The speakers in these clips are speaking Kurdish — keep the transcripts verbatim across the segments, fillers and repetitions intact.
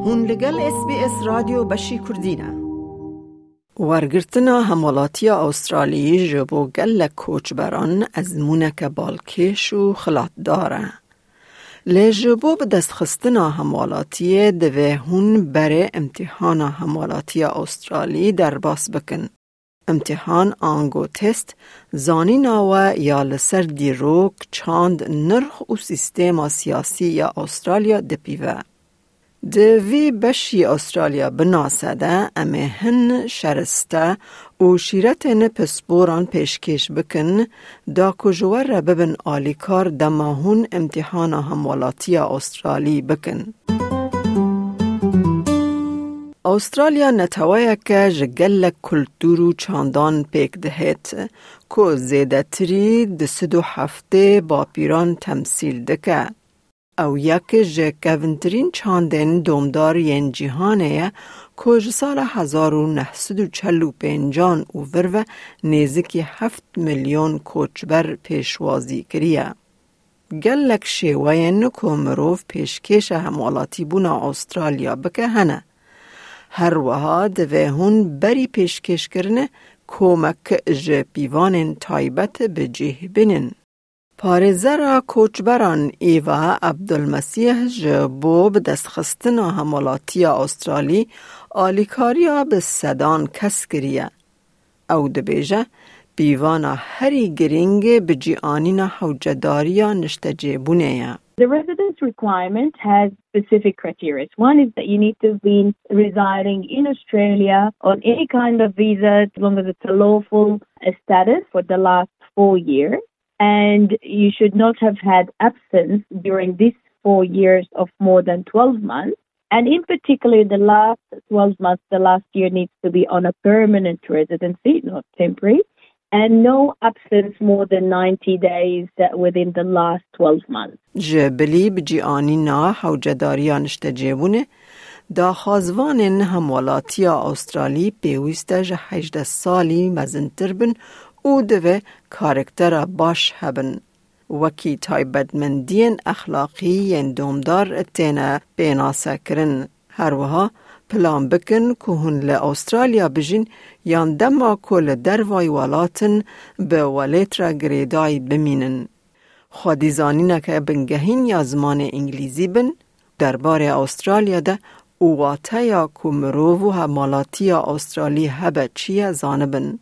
Hûn li gel S B S Radyo Beşî Kurdî ne. Wergirtina hemwelatiya Awstraliyê ji bo gelek koçberan ezmûneke balkêş û xilatdar e. Lê ji bo bidestxistina hemwelatiyê divê hûn berê imtîhana hemwelatiya Awstralî derbas bikin. Îmtîhan ango test, zanîna we ya li ser dîrok, çand, nirx û sîstema siyasî ya Awstralya dipîve. Di vî beşî Awstralya binase de em ê hin şeriste û şîretên pisporan pêşkêş bikin, da ku ji we re bibin alîkar dema hûn îmtîhana hemwelatiya Awstralî bikin. Awstralya neteweyeke ji gelek kultûr û çandan pêk dihêt, ku zêdetirî du sed û heftê bapîran temsîl dike. Ew yek ji kevintirîn çandên domdar yên cîhanê ye, ku ji sala hezar û neh sed û çel û pêncan û vir ve nêzikî heft milyon koçber pêşwazî kiriye. Gelek şêweyên ku mirov pêşkêşa hemwelatîbûna Awstralya bike hene. Her wiha divê hûn berî pêşkêşkirinê komek ji pîvanên taybet bi cih bînin. Parêzera koçberan Îva Abdulmesîh ji bo bidestxistina hemwelatiya Awstralî alîkariya bi sedan kes kiriye. Ew dibêje, pîvana herî girîng bicîanîna hewcedariya niştecêbûnê ye. The residence requirement has specific criteria. One is that you need to have been residing in Australia on any kind of visa, as long as it's a lawful uh, status, for the last four years. And you should not have had absence during these four years of more than twelve months. And in particular, the last twelve months, the last year needs to be on a permanent residency, not temporary, and no absence more than ninety days uh, within the last twelve months. Ji bilî bicîanîna hewcedariya niştecêbûnê, daxwazvanên hemwelatiya Awstralî pêwîst e ji hejdeh salî mezintir bin û divê karaktera baş hebin. Wekî taybetmendiyên exlaqî yên domdar têne pênasekirin. Her wiha plan bikin ku hûn li Awstralya bijîn yan dema ku li dervayî welat in bi welêt re girêdayî bimînin. Xwedîzanîneke bingehîn ya zimanê îngilîzî bin derbarê Awstralya de û wateya ku mirov û hemwelatiya Awstralî hebe çi ye zanibin.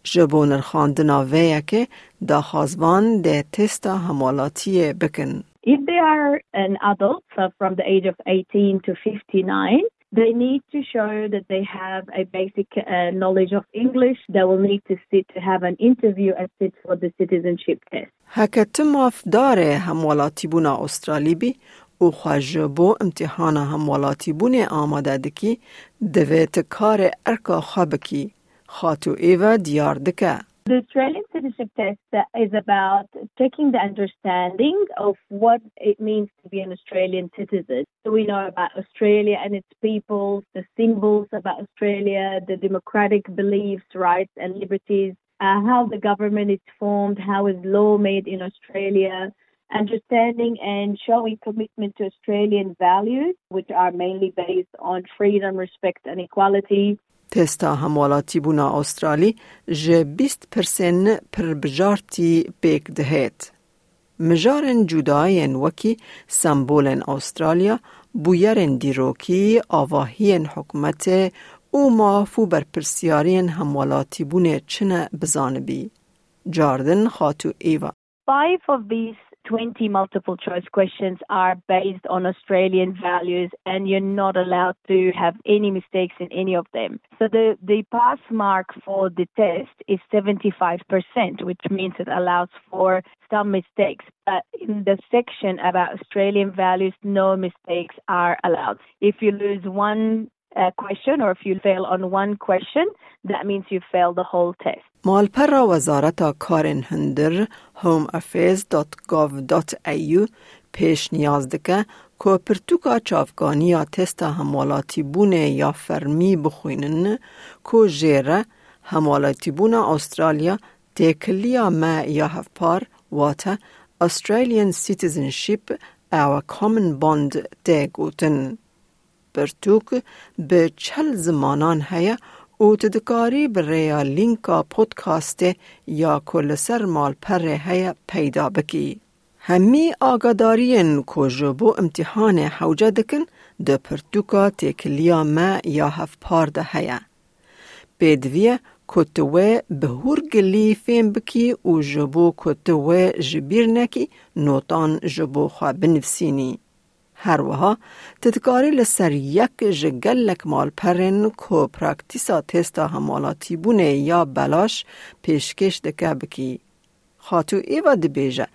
Ji bo nirxandina vê yekê daxwazvan dê testa hemwelatiyê bikin. If they are an adult, so from the age of eighteen to fifty-nine, they need to show that they have a basic uh, knowledge of English. They will need to sit to have an interview and sit for the citizenship test. Heke tu mafdarê hemwelatîbûna Awstralî bî û xwe ji bo imtîhana hemwelatîbûnê amade dikî, divê tu karê erka xwe bikî. Xatû Eva diyar dike. The Australian citizenship test uh, is about checking the understanding of what it means to be an Australian citizen. So we know about Australia and its peoples, the symbols about Australia, the democratic beliefs, rights, and liberties, uh, how the government is formed, how is law made in Australia, understanding and showing commitment to Australian values, which are mainly based on freedom, respect, and equality. Testa hemwelatîbûna Awstralî ji bîst pirsên pirbijartî pêk dihêt. Mijarên cuda yên wekî sembolên Awstralya, bûyerên dîrokî, avahiyên hikûmetê û maf û berpirsiyariyên hemwelatîbûnê çi ne bizanibî. Cardin Xatû Eva. Five of these twenty multiple choice questions are based on Australian values, and you're not allowed to have any mistakes in any of them. So the, the pass mark for the test is seventy-five percent, which means it allows for some mistakes. But in the section about Australian values, no mistakes are allowed. If you lose one uh, question or if you fail on one question, that means you fail the whole test. Malpera Wezareta Karên Hundir, home affairs dot gov dot A U, pêşniyaz dike ku pirtûka çavkaniya testa hemwelatîbûnê ya fermî bixwînin ku jê re hemwelatîbûna Awstralya têkiliya me ya hevpar, wate Australian citizenship, ew common bond tê gotin. pirtûk bi çil zimanan heye û tu dikarî bi rêya lînka podcastê ya ku li ser malperê heye peyda bikî. Hemî agadariyên ku ji bo imtîhanê hewce dikin di pirtûka têkiliya me ya hevpar de heye. Pêdivî ye ku tu wê bi hûrgilî fêm bikî û ji bo ku tu wê ji bîr nekî, notan ji bo xwe binivîsînî. Her wiha tu dikarî li ser yek ji gelek malperên ku praktîsa testa hemalatîbûnê ya belaş pêşkêş dike bikî. Xatû Eva dibêje,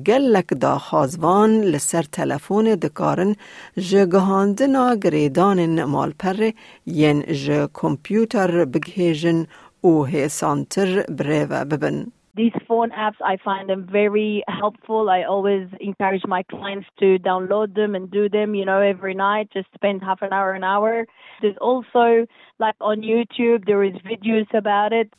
gelek daxwazvan li ser telefonê dikarin ji gihandina girêdanên malperê yên ji kompûter bigihêjin û hêsantir bi rê ve bibin. These phone apps, I find them very helpful. I always encourage my clients to download them and do them, you know, every night. Just spend half an hour, an hour. There's also, like, on YouTube, there is videos about it.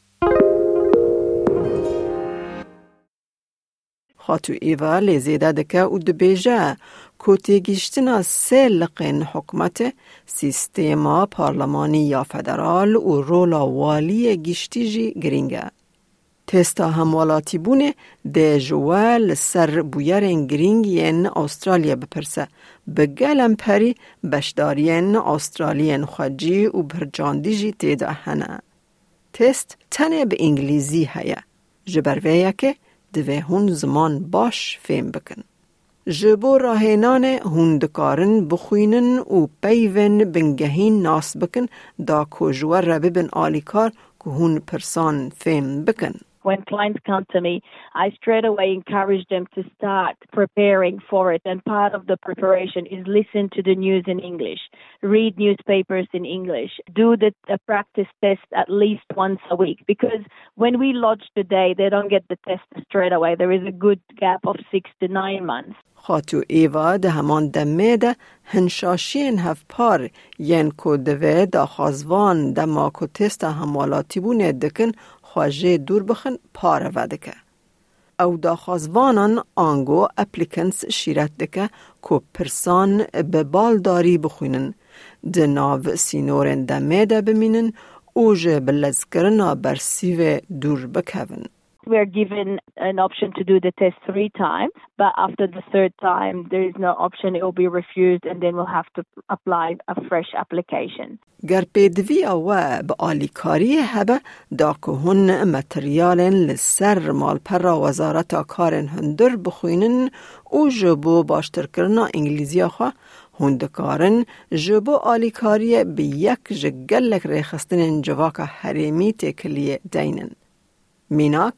Xatû Eva lê zêde dike û dibêje ku têgihiştina sê liqên hikûmetê, sîstema parlemanî ya federal û rola waliyê giştî jî girîng e. Testa hemwelatîbûnê dê ji we li ser bûyerên girîng yên Astralya bipirse, bi gelemperî beşdariyên Astraliyên xwecî û birçandî jî tê de hene. Test tenê bi îngilîzî heye. Ji ber vê yekê divê hûn ziman baş fêm bikin. Ji bo rahênanê hûn dikarin bixwînin û peyvên bingehîn nas bikin, da ku ji we re bibin alîkar ku hûn pirsan fêm bikin. When clients come to me, I straight away encourage them to start preparing for it. And part of the preparation is listen to the news in English, read newspapers in English, do the, the practice test at least once a week. Because when we lodge today, they don't get the test straight away. There is a good gap of six to nine months. Xatû Eva di heman demê de hin şaşiyên hevpar yên ku divê daxwazvan dema ku testa hemwelatîbûnê dikin xwe jê dûr bixin pareve dike. Ew daxwazvanan ango applicants şîret dike ku pirsan bi baldarî bixwînin, di nav sînorên demê de bimînin û ji bilezkirina bersîvê dûr bikevin. We're given an option to do the test three times, but after the third time, there is no option. It will be refused, and then we'll have to apply a fresh application. Ger pêdiviya we bi alîkariyê hebe, da ku hûn materyalên li ser malpera Wezareta Karên Hundir bixwînin û ji bo baştirkirina îngilîziya xwe, hûn dikarin ji bo alîkariyê bi yek ji gelek rêxistinên civaka herêmî têkiliyê deynin. Mînak,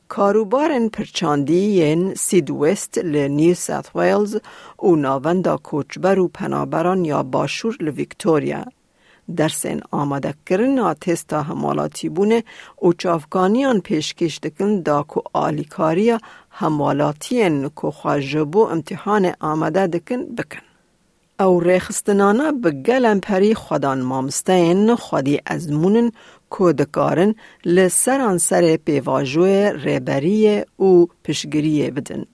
karûbarên pirçandî yên Seedwest li New South Wales û Navenda Koçber û Penaberan ya Başûr li Victoria. Dersên amadekirina testa hemwelatîbûnê û çavkaniyan pêşkêş dikin da ku alîkariya hemwelatiyên ku xwe ji bo imtîhanê amade dikin, bikin. Ew rêxistinane bi gelemperî xwedan mamosteyên xwedî ezmûn in ku dikarin li seranserê pêvajoyê rêberiyê û piştgiriyê bidin.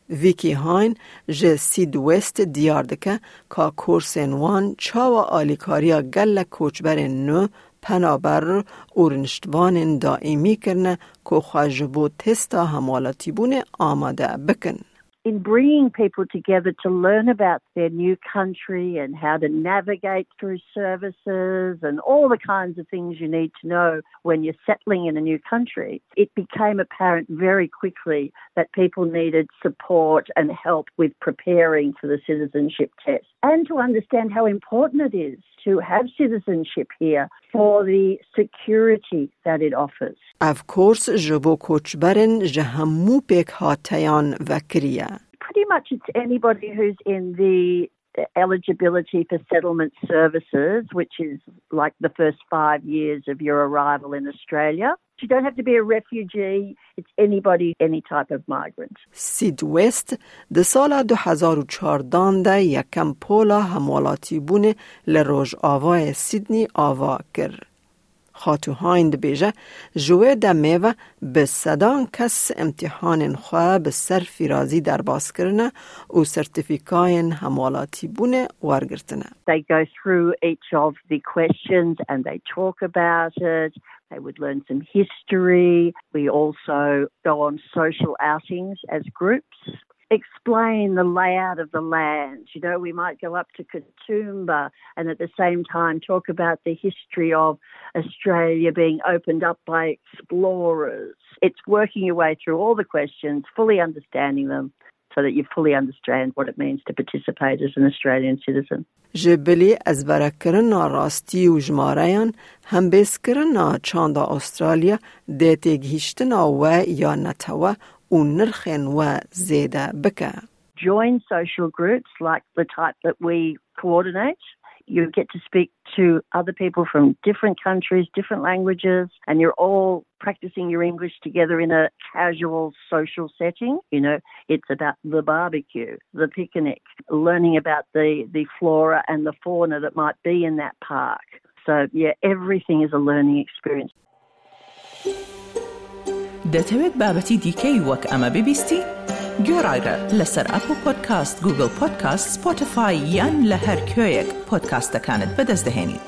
Vicky Hine ji Seedwest diyar dike ka kursên wan çawa alîkariya gelek koçberên nû, penaber û rûniştvanên daîmî kirine ku xwe ji bo testa hemwelatîbûnê amade bikin. In bringing people together to learn about their new country and how to navigate through services and all the kinds of things you need to know when you're settling in a new country, it became apparent very quickly that people needed support and help with preparing for the citizenship test and to understand how important it is to have citizenship here for the security that it offers. Ev kurs ji bo koçberên ji hemû pêkhateyan vekirî ye. Pretty much it's anybody who's in the eligibility for settlement services, which is like the first five years of your arrival in Australia. You don't have to be a refugee. It's anybody, any type of migrant. Seedwest di sala du hezar û çardan de yekem pola hemwelatîbûnê li rojavayê Sydney ava kir. Xatu Hayn dibêje, ji wê demê ve bi sedan kes imtîhanên xwe bi ser fîrazî derbas kirine û sertîfîkayên hemwelatîbûnê wergirtine. They go through each of the questions and they talk about it. They would learn some history. We also go on social outings as groups. Explain the layout of the land. You know, we might go up to Katoomba and at the same time talk about the history of Australia being opened up by explorers. It's working your way through all the questions, fully understanding them, so that you fully understand what it means to participate as an Australian citizen. Ji bilî ezberekirina rastî û jimareyan, hembêzkirina çanda Australya dê têgihîştina we ya netewe û nirxên we zêde bike. Join social groups like the type that we coordinate. You get to speak to other people from different countries, different languages, and you're all practicing your English together in a casual social setting. You know, it's about the barbecue, the picnic, learning about the, the flora and the fauna that might be in that park. So, yeah, everything is a learning experience. دەتەوێت بابەتی دیکەی وەک ئەمە ببیستی؟ گوێڕایرە لەسەر ئەپڵ پۆدکاست، گوگڵ پۆدکاست، سپۆتیفای یان لە هەر کوێیەک پۆدکاستەکانت بەدەست دەهێنیت.